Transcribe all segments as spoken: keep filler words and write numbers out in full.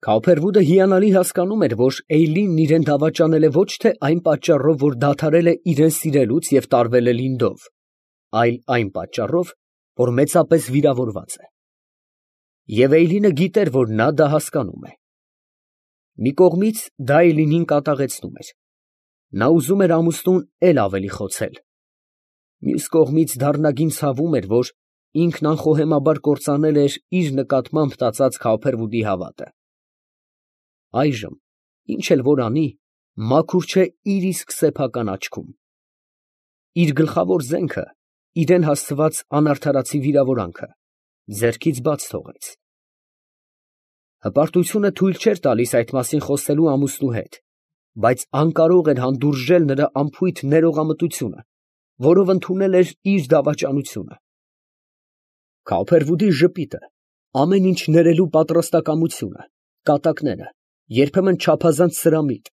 Քավոփերվուդը հիանալի հասկանում էր, որ Էյլինն իրան դավաճանել է ոչ թե այն պատճառով, որ դադարել է իրան սիրելուց և տարվել է Լինդով, այլ այն պատճառով, որ մեծապես վիրավորված է. և Էյլինը գիտեր, որ նա դա հասկանում է։ Մի կողմից դա Էյլինին կատաղեցնում էր. նա ուզում էր ամուսնուն էլ ավելի խոցել. մյուս կողմից դառնագին ցավում էր, որ ինքն անխոհեմաբար կործանել էր իր նկատմամբ տածած Քավոփերվուդի հավատը։ Այժմ ինչ էլ որ անի, մաքուր չէ իր իսկ սեփական աչքում։ Իր գլխավոր զենքը, իրան հասցված անարդարացի վիրավորանքը, ձեռքից բաց թողեց։ Հպարտությունը թույլ չէր տալիս այդ մասին խոսելու ամուսնու հետ, բայց անկարող էր հանդուրժել նրա անփույթ ներողամտությունը, որով ընդունել էր իր դավաճանությունը։ Քավոփերվուդի ժպիտը, ամեն ինչ ներելու պատրաստակամությունը, կատակները, երբեմն չափազանց սրամիտ,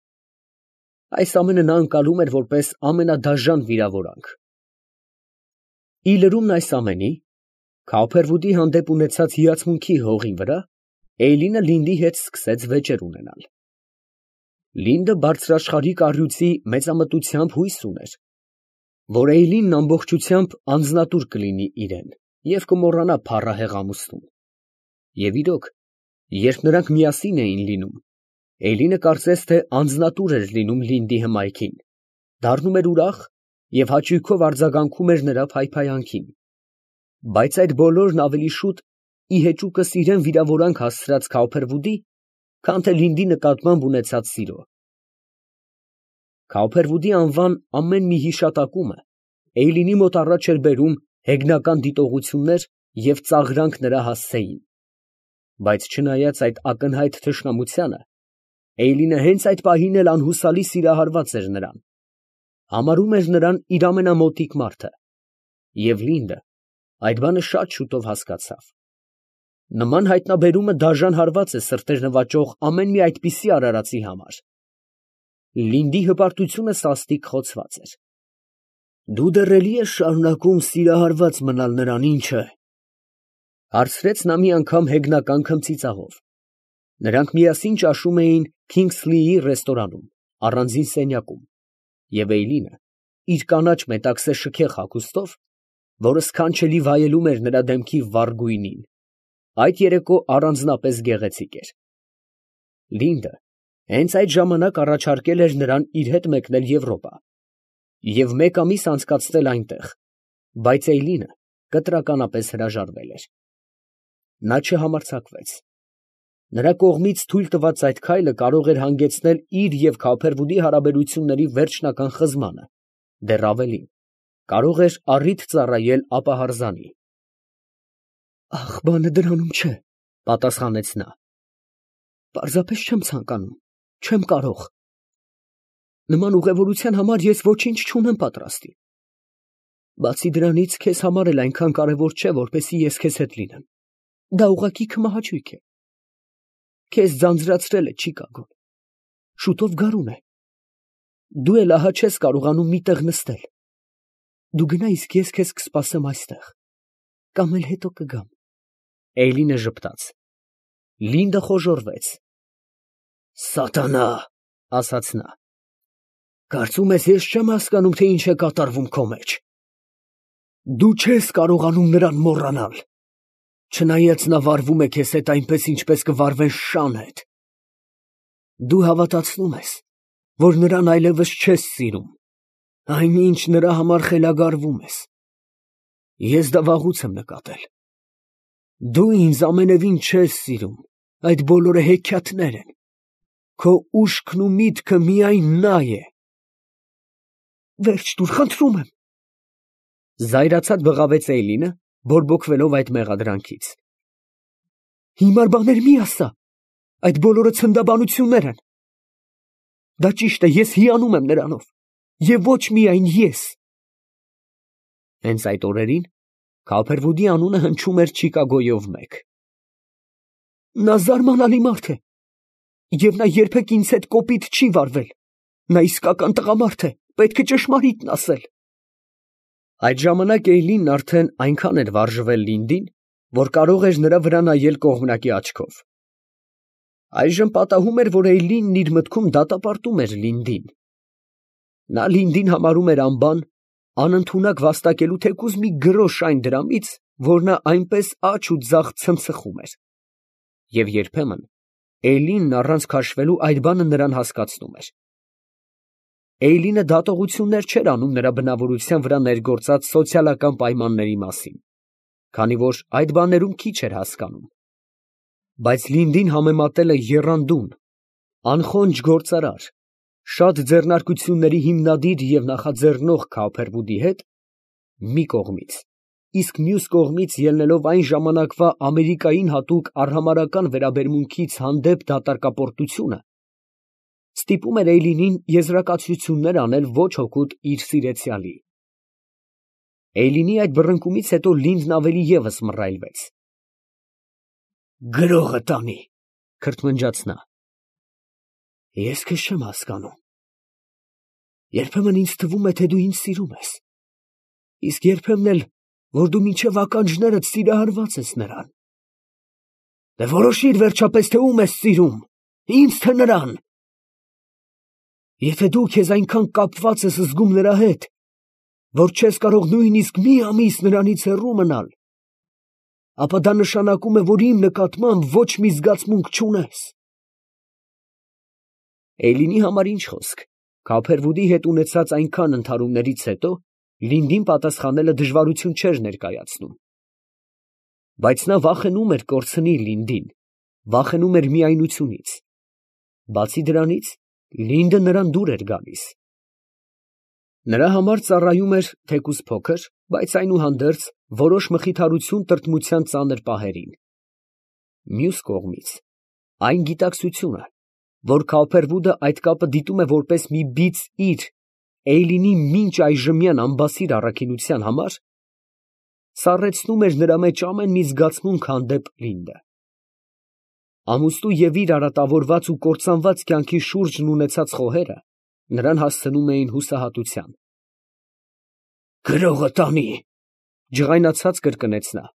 այս ամենը նա ընկալում էր որպես ամենադաժան վիրավորանք։ Ի լրումն այս ամենի, Քավոփերվուդի հանդեպ ունեցած հիացմունքի հողի վրա, Էյլինը Լինդի հետ սկսեց վեճեր ունենալ։ Լինդը բարձրաշխարհիկ առյուծի մեծամտությամբ հույս ուներ, որ Էյլինն ամբողջությամբ անձնատուր կլինի իրան և կմոռանա փառահեղ ամուսնուն։ Եվ իրոք, երբ նրանք միասին էին լինում, Էյլինը կարծես թե անձնատուր էր լինում Լինդի հմայքին, դառնում էր ուրախ և հաճույքով արձագանքում էր նրա փայփայանքին, բայց այդ բոլորն ավելի շուտ ի հեճուկս իրան վիրավորանք հասցրած Քավոփերվուդի, քան թե Լինդի նկատմամբ ունեցած սիրո։ Քավոփերվուդի անվան ամեն մի հիշատակումը Էյլինի մոտ առաջ էր բերում հեգնական դիտողություններ և ծաղրանք նրա հասցեին, բայց չնայած այդ ակնհայտ թշնամությանը, Էյլինը հենց այդ պահին էլ անհուսալի սիրահարված էր նրան, համարում էր նրան իր ամենամոտիկ մարդը, և Լինդը այդ բանը շատ շուտով հասկացավ։ Նման հայտնաբերումը դաժան հարված է սրտեր նվաճող ամեն մի այդպիսի արարածի համար։ Լինդի հպարտությունը սաստիկ խոցված էր։ «Դու դեռ էլի ես շարունակում սիրահարված մնալ նրան, ինչ է, ֊ հարցրեց նա մի անգամ հեգնական քմծիծաղով։ Նրանք միասին ճաշում էին Քինգսլիի ռեստորանում, առանձին սենյակում, և Էյլինը իր կանաչ մետաքսե շքեղ հագուստով, որը սքանչելի վայելում էր նրա դեմքի վառ գույնին, այդ երեկո առանձնապես գեղեցիկ էր։ Լինդը հենց այդ ժամանակ առաջարկել էր նրան իր հետ մեկնել Եվրոպա և մեկ ամիս անցկացնել այնտեղ, բայց Էյլինը կտրականապես հրաժարվել էր։ Նա չհամարձակվեց։ Նրա կողմից թույլ տված այդ քայլը կարող էր հանգեցնել իր և Քավոփերվուդի հարաբերությունների վերջնական խզմանը, դեռ ավելին, կարող էր առիթ ծառայել ապահարզանի։ «Ախ, բանը դրանում չէ, ֊ պատասխանեց նա. ֊ պարզապես չեմ ցանկանում, չեմ կարող։ Նման ուղևորության համար ես ոչինչ չունեմ պատրաստի։ Բացի դրանից, քեզ համար էլ այնքան կարևոր չէ, որպեսզի ես քեզ հետ լինեմ, դա ուղղակի քմահաճույք է։ Քեզ ձանձրացրել է Չիկագոն, շուտով գարուն է, դու էլ ահա չես կարողանում մի տեղ նստել։ Դու գնա, իսկ ես քեզ կսպասեմ այստեղ, կամ էլ հետո կգամ»։ Էյլինը ժպտաց։ Լինդը խոժոռվեց։ «Սատանա, ֊ ասաց նա, ֊ կարծում ես ես չեմ հասկանում, թե ինչ է կատարվում քո մեջ։ Դու չես կարողանում նրան մոռանալ, չնայած նա վարվում է քեզ հետ այնպես, ինչպես կվարվեն շան հետ։ Դու հավատացնում ես, որ նրան այլևս չես սիրում, այնինչ նրա համար խելագարվում ես։ Ես դա վաղուց եմ նկատել։ Դու ինձ ամենևին չես սիրում, այդ բոլորը հեքիաթներ են, քո ուշքն ու միտքը միայն նա է։ Վերջ տուր, խնդրում եմ, ֊ զայրացած բղավեց Էյլինը, բորբոքվելով այդ մեղադրանքից։ Հիմար բաներ մի ասա, այդ բոլորը ցնդաբանություններ են։ Դա ճիշտ է, ես հիանում եմ նրանով, և ոչ միայն ես։ Հենց այդ օրերին Քավոփերվուդի անունը հնչում էր Չիկագոյով մեկ։ Նա զարմանալի մարդ է, և նա երբեք ինձ հետ կոպիտ չի վարվել։ Նա իսկական տղամարդ է, պետք է ճշմարիտն ասել։ Այդ ժամանակ Էյլինն արդեն այնքան էր վարժվել Լինդին, որ կարող էր նրա վրա նայել կողմնակի աչքով։ Այժմ պատահում էր, որ Էյլինն իր մտքում դատապարտում էր Լինդին. նա Լինդին համարում էր անբան, անընդունակ վաստակելու թեկուզ մի գրոշ այն դրամից, որ նա այնպես աջ ու ձախ ցնցխում էր, և երբեմն Էյլինն առանց քաշվելու այդ բանը նրան հասկացնում էր։ Էյլինը դատողություններ չէր անում նրա բնավորության վրա ներգործած սոցիալական պայմանների մասին, քանի որ այդ բաներում քիչ էր հասկանում, բայց Լինդին համեմատել է եռանդուն, անխոնջ գործարար, շատ ձեռնարկությունների հիմնադիր և նախաձեռնող Քոփերվուդի հետ, մի կողմից, իսկ մյուս կողմից ելնելով այն ժամանակվա Ամերիկային հատուկ արհամարհական վերաբերմունքից հանդեպ դատարկապարտությունը, ստիպում էր Էյլինին եզրակացություններ անել ոչ հօգուտ իր սիրեցյալի։ Էյլինի այդ բռնկումից հետո Լինդն ավելի ևս մռայլվեց։ «Գրողը տանի», քրթմնջաց նա, «ես քեզ չեմ հասկանում. երբեմն ինձ թվում է, թե դու ինձ սիրում ես, իսկ երբեմն էլ, որ դու մինչև ականջներդ սիրահարված ես նրան։ Դե որոշիր վերջապես, թե ում ես սիրում, ինձ, թե նրան։ Եթե դու քեզ այնքան կապված ես զգում նրա հետ, որ չես կարող նույնիսկ մի ամիս նրանից հեռու մնալ, ապա դա նշանակում է, որ իմ նկատմամբ ոչ մի զգացմունք չունես»։ Էյլինի համար ինչ խոսք, Քոփերվուդի հետ ունեցած այնքան ընդհարումներից հետո Լինդին պատասխանելը դժվարություն չէր ներկայացնում, բայց նա վախենում էր կորցնի Լինդին, վախենում էր միայնությունից, բացի դրանից, Լինդը նրան դուր էր գալիս։ Նրա համար ծառայում էր թեկուզ փոքր, բայց այնուհանդերձ որոշ մխիթարություն տրտմության ծանր պահերին։ Մյուս կողմից, այն գիտակցությունը, որ Քոփերվուդը այդ կապը դիտում է որպես մի բիծ իր, Էյլինի մինչ այժմյան անբասիր առաքինության համար, սառեցնում էր նրա մեջ ամեն մի զգացմունք հանդեպ Լինդը։ Ամուսնու և իր արատավորված ու կործանված կյանքի շուրջն ունեցած խոհերը նրան հասցնում էին հուսահատության։ «Գրողը տանի», ջղայնացած կրկնեց նա,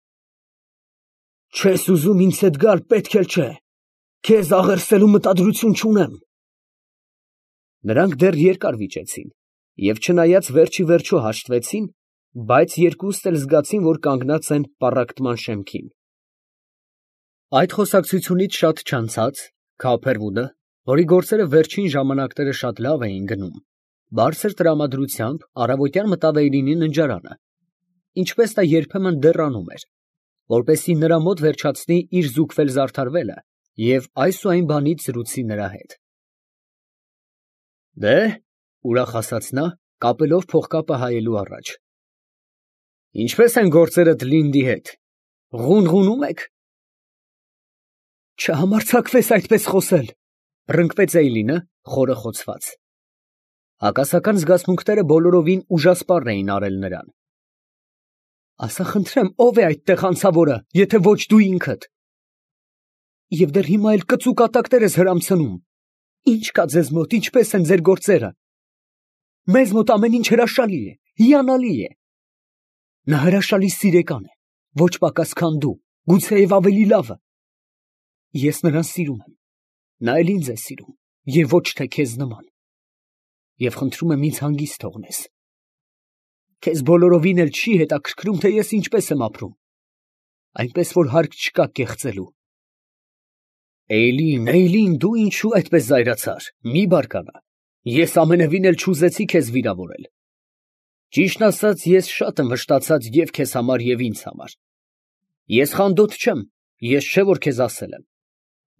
«չես ուզում ինձ հետ գալ, պետք էլ չէ, քեզ աղերսելու մտադրություն չունեմ»։ Նրանք դեռ երկար վիճեցին և չնայած վերջիվերջո հաշտվեցին, բայց երկուստ էլ զգացին, որ կանգնած են պառակտման շեմքին։ Այդ խոսակցությունից շատ չանցած Քոփերվուդը, որի գործերը վերջին ժամանակները շատ լավ էին գնում, բարձր տրամադրությամբ առավոտյան մտավ Էյլինի ննջարանը, ինչպես նա երբեմն դեռ անում էր, որպեսզի նրա մոտ վերջացնի իր զուգվել֊զարդարվելը և այս ու այն բանից զրուցի նրա հետ։ «Դե՞, ֊ ուրախ ասաց նա, կապելով փողկապը հայելու առաջ, ֊ ինչպե՞ս են գործերդ Լինդի հետ, ղունղունում եք»։ «Չհամարձակվես այդպես խոսել, ֊ պռնկվեց Էյլինը, խորը խոցված. հակասական զգացմունքները բոլորովին ուժասպառ էին արել նրան։ Ասա խնդրեմ, ո՞վ է այդտեղ հանցավորը, եթե ոչ դու ինքդ։ Եվ դեռ հիմա էլ կծու կատակներ ես հրամցնում, ի՞նչ կա ձեզ մոտ, ինչպե՞ս են ձեր գործերը։ Մեզ մոտ ամեն ինչ հրաշալի է, հիանալի է։ Նա հրաշալի սիրեկան է, ոչ պակաս, քան դու, գուցեև ավելի լավը։ Ես նրան սիրում եմ, նա էլ ինձ է սիրում, և ոչ թե քեզ նման։ Եվ խնդրում եմ ինձ հանգիստ թողնես։ Քեզ բոլորովին էլ չի հետաքրքրում, թե ես ինչպես եմ ապրում, այնպես որ հարկ չկա կեղծելու։ Էյլին, Էյլին, դու ինչո՞ւ այդպես զայրացար, մի բարկանա, ես ամենևին էլ չուզեցի քեզ վիրավորել։ Ճիշտն ասած, ես շատ եմ վշտացած և քեզ համար, և ինձ համար։ Ես խանդոտ չեմ, ես չէ որ քեզ ասել եմ։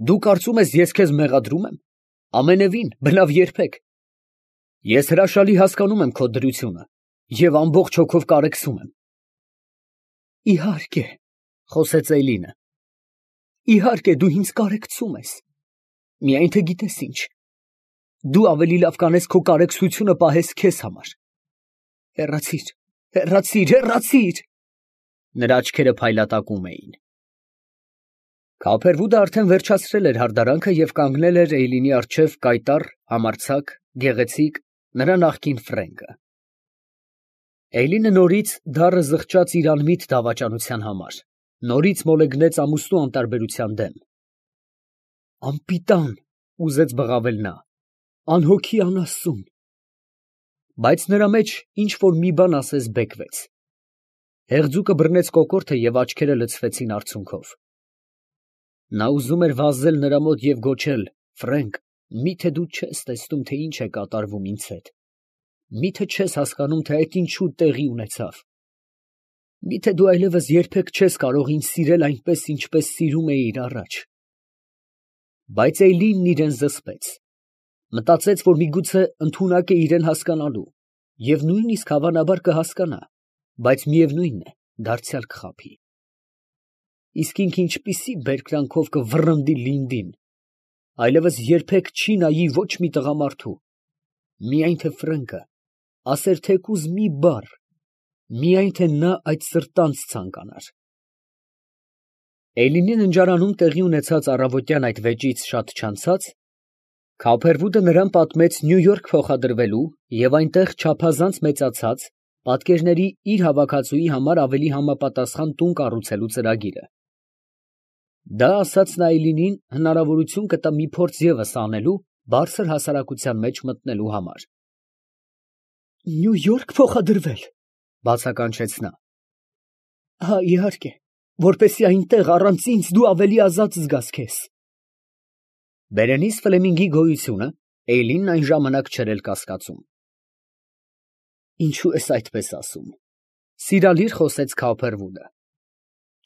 Դու կարծում ես, ես քեզ մեղադրում եմ։ Ամենևին, բնավ երբեք։ Ես հրաշալի հասկանում եմ քո դրությունը և ամբողջ հոգով կարեկցում եմ։ Իհարկե, ֊ խոսեց Էյլինը, իհարկե դու ինձ կարեկցում ես, միայն թե գիտես ինչ, դու ավելի լավ կանես քո կարեկցությունը պահես քեզ համար։ Հեռացի՛ր, հեռացի՛ր, հեռացի՛ր։ Նրա աչքերը փայլատակում էին։ Քոփերվուդը արդեն վերջացրել էր հարդարանքը և կանգնել էր Էյլինի առջև կայտառ, համարձակ, գեղեցիկ, նրա նախկին ֆրենկը։ Էյլինը նորից դառը զղջաց իր անմիտ դավաճանության համար, նորից մոլեգնեց ամուսնու անտարբերության դեմ։ Անպիտան, ուզեց բղավել նա, անհոգի անաստուն, բայց նրա մեջ ինչ որ մի բան ասես բեկվեց. հեղձուկը բռնեց կոկորդը և աչքերը լցվեցին արցունքով։ Նա ուզում էր վազել նրա մոտ և գոչել. «Ֆրենկ, մի՞թե դու չես տեսնում, թե ինչ է կատարվում ինձ հետ, մի՞թե չես հասկանում, թե այդ ինչու տեղի ունեցավ, մի՞թե դու այլևս երբեք չես կարող ինձ սիրել այնպես, ինչպես սիրում էիր առաջ»։ Բայց Էյլինն իրան զսպեց, մտածեց, որ միգուցե ընդունակ է իրան հասկանալու և նույնիսկ հավանաբար կհասկանա, բայց միևնույն է, դարձյալ կխաբի։ Իսկ ինքը ինչպիսի բերկրանքով կվռնդի լինդին, այլևս երբեք չի նայի ոչ մի տղամարդու, միայն թե Ֆրենկը ասեր թեկուզ մի բառ, միայն թե նա այդ սրտանց ցանկանար։ Էյլինի ննջարանում տեղի ունեցած առավոտյան այդ վեճից շատ չանցած, Քոփերվուդը նրան պատմեց Նյու Յորք փոխադրվելու և այնտեղ չափազանց մեծացած, պատկերների իր հավաքածուի համար ավելի համապատասխան տուն կառուցելու ծրագիրը։ Դա ասածն Այլինին հնարավորություն կտա մի փորձ ևս անելու բարձր հասարակության մեջ մտնելու համար։ «Նյու Յորք փոխադրվել, ֊ բացականչեց նա, ֊ հա, իհարկե, որպեսզի այնտեղ առանց ինձ դու ավելի ազատ զգաս քեզ»։ Բերենիս Ֆլեմինգի գոյությունը Էյլինն այն ժամանակ չէր էլ կասկածում։ «Ինչո՞ւ ես այդպես ասում, ֊ սիրալիր խոսեց Քոփերվուդը, ֊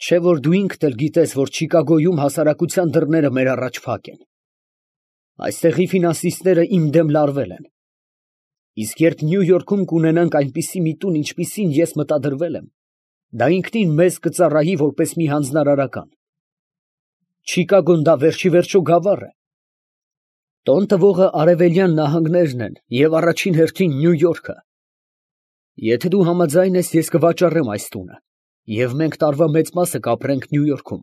չէ՞ որ դու ինքդ էլ գիտես, որ Չիկագոյում հասարակության դռները մեր առաջ փակ են։ Այստեղի ֆինանսիստները իմ դեմ լարվել են, իսկ երբ Նյու Յորքում կունենանք այնպիսի մի տուն, ինչպիսին ես մտադրվել եմ, դա ինքնին մեզ կծառայի որպես մի հանձնարարական։ Չիկագոն դա վերջիվերջո գավառ է։ Տոն տվողը Արևելյան նահանգներն են և առաջին հերթին Նյու Յորքը։ Եթե դու համաձայն ես, ես կվաճառեմ այս տունը, և մենք տարվա մեծ մասը կապրենք Նյու Յորքում։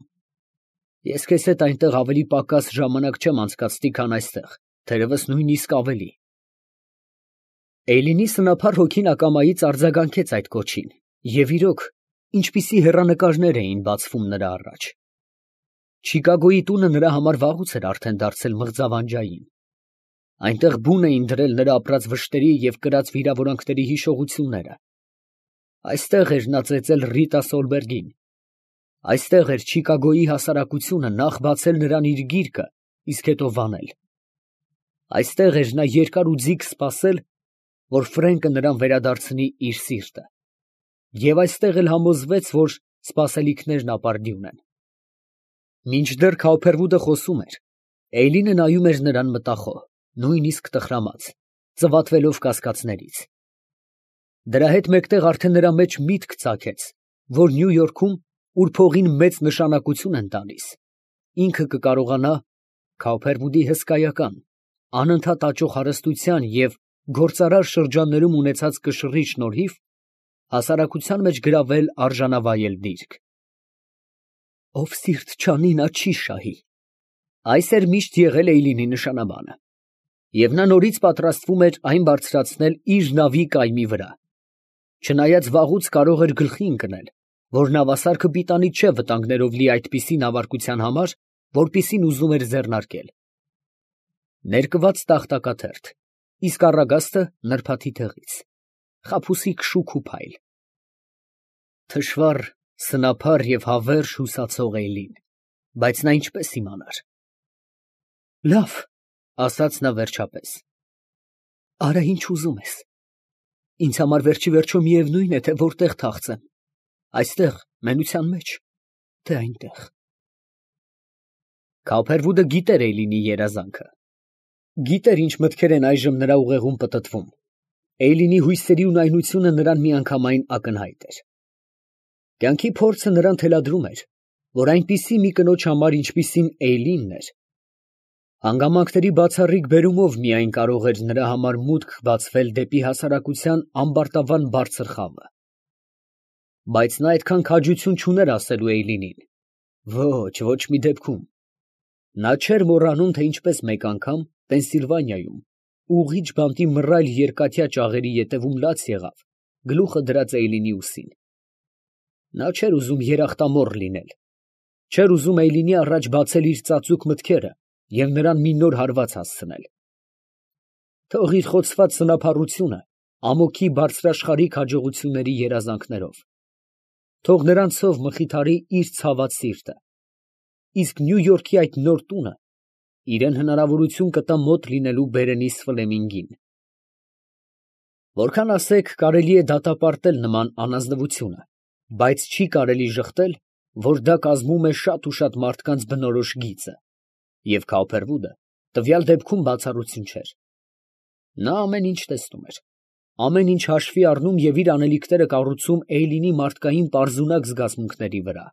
Ես քեզ հետ այնտեղ ավելի պակաս ժամանակ չեմ անցկացնի, քան այստեղ, թերևս նույնիսկ ավելի։ Էյլինի սնափառ հոգին ակամայից արձագանքեց այդ կոչին, և իրոք, ինչպիսի հեռանկարներ էին բացվում նրա առաջ։ Չիկագոյի տունը նրա համար վաղուց էր արդեն դարձել մղձավանջային։ Այնտեղ բուն էին դրել նրա ապրած վշտերի և կրած վիրավորանքների հիշողությունները։ Այստեղ էր նա ծեծել Ռիտա Սոլբերգին։ Այստեղ էր Չիկագոյի հասարակությունը նախ բացել նրան իր գիրկը, իսկ հետո վանել։ Այստեղ էր նա երկար ու ձիգ սպասել, որ Ֆրենկը նրան վերադարձնի իր սիրտը, և այստեղ էլ համոզվեց, որ սպասելիքներն ապարդյուն են։ Մինչդեռ Քոփերվուդը խոսում էր, Էյլինը նայում էր նրան մտախոհ, նույնիսկ տխրամաց, ծվատվելով կասկածներից։ Դրա հետ մեկտեղ արդեն նրա մեջ միտք ծագեց, որ Նյու Յորքում, ուր փողին մեծ նշանակություն են տալիս, ինքը կկարողանա Քոփերվուդի հսկայական, անընդհատ աճող հարստության և գործարար շրջաններում ունեցած կշռի շնորհիվ հասարակության մեջ գրավել արժանավայել դիրք։ «Ով սիրտ չանի, նա չի շահի»։ Այս էր միշտ եղել Էյլինի նշանաբանը, և նա նորից պատրաստվում էր այն բարձրացնել իր նավի կայմի վրա, չնայած վաղուց կարող էր գլխի ընկնել, որ նավասարքը պիտանի չէ վտանգներով լի այդպիսի նավարկության համար, որպիսին ուզում էր ձեռնարկել։ Ներկված տախտակաթերթ, իսկ առագաստը նրբաթի թեղից, խաբուսիկ շուք ու փայլ։ Թշվառ, սնափառ և հավերժ հուսացող Էյլին, բայց նա ինչպես իմանար։ «Լավ, ֊ ասաց նա վերջապես, ֊ արա ինչ ուզում ես, ինձ համար վերջիվերջո միևնույն է, թե որտեղ թախծեմ, այստեղ մենության մեջ, թե այնտեղ»։ Քոփերվուդը գիտեր Էյլինի երազանքը, գիտեր ինչ մտքեր են այժմ նրա ուղեղում պտտվում։ Էյլինի հույսերի ունայնությունը նրան միանգամայն ակնհայտ էր։ Կյանքի փորձը նրան թելադրում էր, որ այնպիսի մի կնոջ համար, ինչպիսին Էյլինն էր, հանգամանքների բացառիկ բերումով միայն կարող էր նրա համար մուտք բացվել դեպի հասարակության ամբարտավան բարձր խավը։ Բայց նա այդքան քաջություն չուներ ասելու Էյլինին. ոչ, ոչ մի դեպքում։ Նա չէր մոռանում, թե ինչպես մեկ անգամ Պենսիլվանիայում ուղիղ բանտի մռայլ երկաթյա ճաղերի ետևում լաց եղավ, գլուխը դրած Էյլինի ուսին։ Նա չէր ուզում երախտամոռ լինել, չէր ուզում Էյլինի առաջ բացել իր ծածուկ մտքերը և նրան մի նոր հարված հասցնել։ Թող իր խոցված սնափառությունը ամոքի բարձրաշխարհիկ հաջողությունների երազանքներով, թող նրանցով մխիթարի իր ցաված սիրտը, իսկ Նյու Յորքի այդ նոր տունը իրան հնարավորություն կտա մոտ լինելու Բերենիս Ֆլեմինգին։ Որքան ասեք, կարելի է դատապարտել նման անազնվությունը, բայց չի կարելի ժխտել, որ դա կազմում է շատ ու շատ մարդկանց բնորոշ գիծը, և Քաուփերվուդը տվյալ դեպքում բացառություն չէր։ Նա ամեն ինչ տեսնում էր, ամեն ինչ հաշվի առնում և իր անելիքները կառուցում Էյլինի մարդկային պարզունակ զգացմունքների վրա։